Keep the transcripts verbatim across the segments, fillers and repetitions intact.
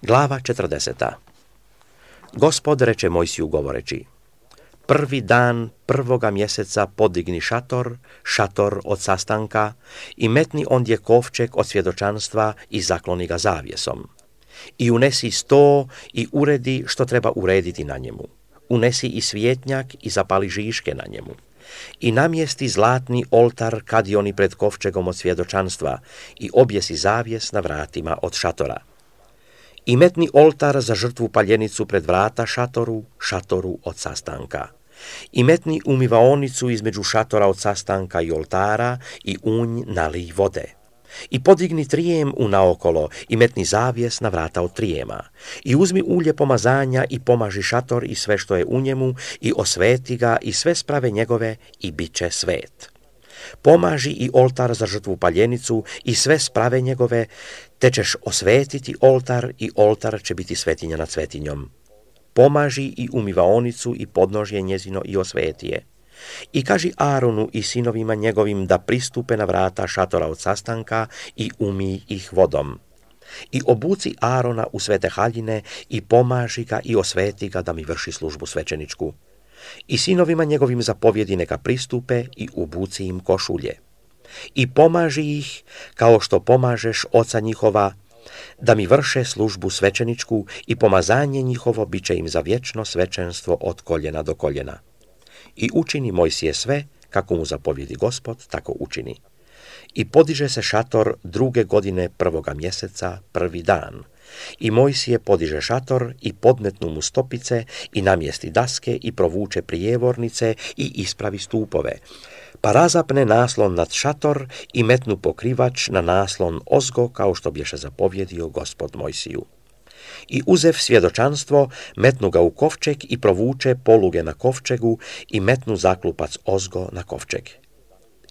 Glava četrdeseta. Gospod reče Mojsiju govoreći: prvi dan prvoga mjeseca podigni šator, šator od sastanka, i metni ondje kovčeg od svjedočanstva i zakloni ga zavjesom. I unesi sto i uredi što treba urediti na njemu. Unesi i svjetnjak i zapali žiške na njemu. I namjesti zlatni oltar kadioni pred kovčegom od svjedočanstva i objesi zavjes na vratima od šatora. I metni oltar za žrtvu paljenicu pred vrata šatoru, šatoru od sastanka. I metni umivaonicu između šatora od sastanka i oltara i u nj nalij vode. I podigni trijem u naokolo i metni zavjes na vrata od trijema. I uzmi ulje pomazanja i pomaži šator i sve što je u njemu i osveti ga i sve sprave njegove i bit će svet. Pomaži i oltar za žrtvu paljenicu i sve sprave njegove, te ćeš osvetiti oltar i oltar će biti svetinja nad svetinjom. Pomaži i umivaonicu i podnožje njezino i osveti je. I kaži Aronu i sinovima njegovim da pristupe na vrata šatora od sastanka i umij ih vodom. I obuci Arona u svete haljine i pomaži ga i osveti ga da mi vrši službu svećeničku. I sinovima njegovim zapovjedi neka pristupe i obuci im košulje. I pomaži ih kao što pomažeš oca njihova, da mi vrše službu svećeničku i pomazanje njihovo bit će im za vječno svećenstvo od koljena do koljena. I učini Mojsije sve, kako mu zapovjedi Gospod, tako učini. I podiže se šator druge godine prvoga mjeseca, prvi dan. I Mojsije podiže šator i podmetnu mu stopice i namjesti daske i provuče prijevornice i ispravi stupove. Pa razapne naslon nad šator i metnu pokrivač na naslon ozgo, kao što bješe zapovjedio Gospod Mojsiju. I uzev svjedočanstvo, metnu ga u kovčeg i provuče poluge na kovčegu i metnu zaklupac ozgo na kovčeg.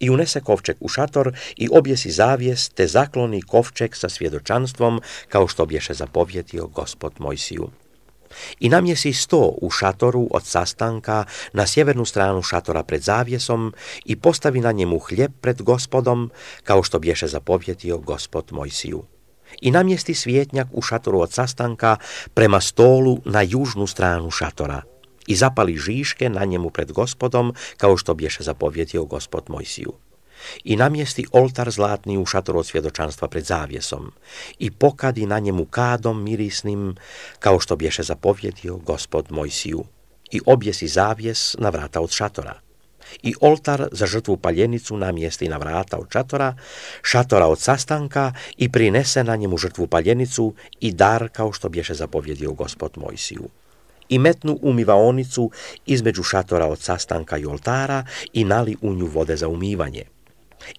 I unese kovčeg u šator i objesi zavjes, te zakloni kovčeg sa svjedočanstvom, kao što bješe zapovjedio Gospod Mojsiju. I namjesi sto u šatoru od sastanka na sjevernu stranu šatora pred zavjesom i postavi na njemu hljeb pred Gospodom, kao što bješe zapovjedio Gospod Mojsiju. I namjesti svjetnjak u šatoru od sastanka prema stolu na južnu stranu šatora i zapali žiške na njemu pred Gospodom, kao što bješe zapovjedio Gospod Mojsiju. I namjesti oltar zlatni u šatoru od svjedočanstva pred zavjesom i pokadi na njemu kadom mirisnim, kao što bješe zapovjedio Gospod Mojsiju. I objesi zavjes na vrata od šatora. I oltar za žrtvu paljenicu namjesti na vrata od šatora, šatora od sastanka i prinese na njemu žrtvu paljenicu i dar, kao što bješe zapovjedio Gospod Mojsiju. I metnu umivaonicu između šatora od sastanka i oltara i nali u nju vode za umivanje.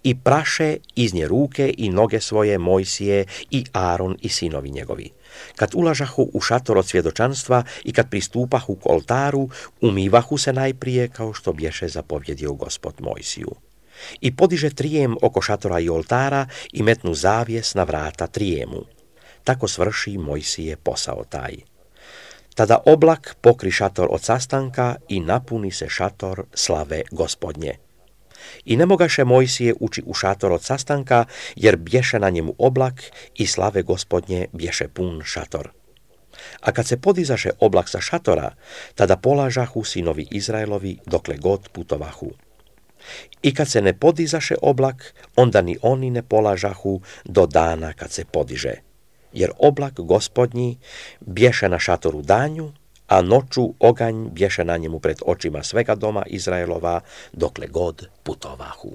I praše iz nje ruke i noge svoje Mojsije i Aron i sinovi njegovi. Kad ulažahu u šator od svjedočanstva i kad pristupahu k oltaru, umivahu se najprije, kao što bješe zapovjedio Gospod Mojsiju. I podiže trijem oko šatora i oltara i metnu zavjes na vrata trijemu. Tako svrši Mojsije posao taj. Tada oblak pokri šator od sastanka i napuni se šator slave Gospodnje. I ne mogaše Mojsije ući u šator od sastanka, jer bješe na njemu oblak i slave Gospodnje bješe pun šator. A kad se podizaše oblak sa šatora, tada polažahu sinovi Izraelovi dokle god putovahu. I kad se ne podizaše oblak, onda ni oni ne polažahu do dana kad se podiže. Jer oblak Gospodnji bješe na šatoru danju, a noću oganj bješe na njemu pred očima svega doma Izraelova dokle god putovahu.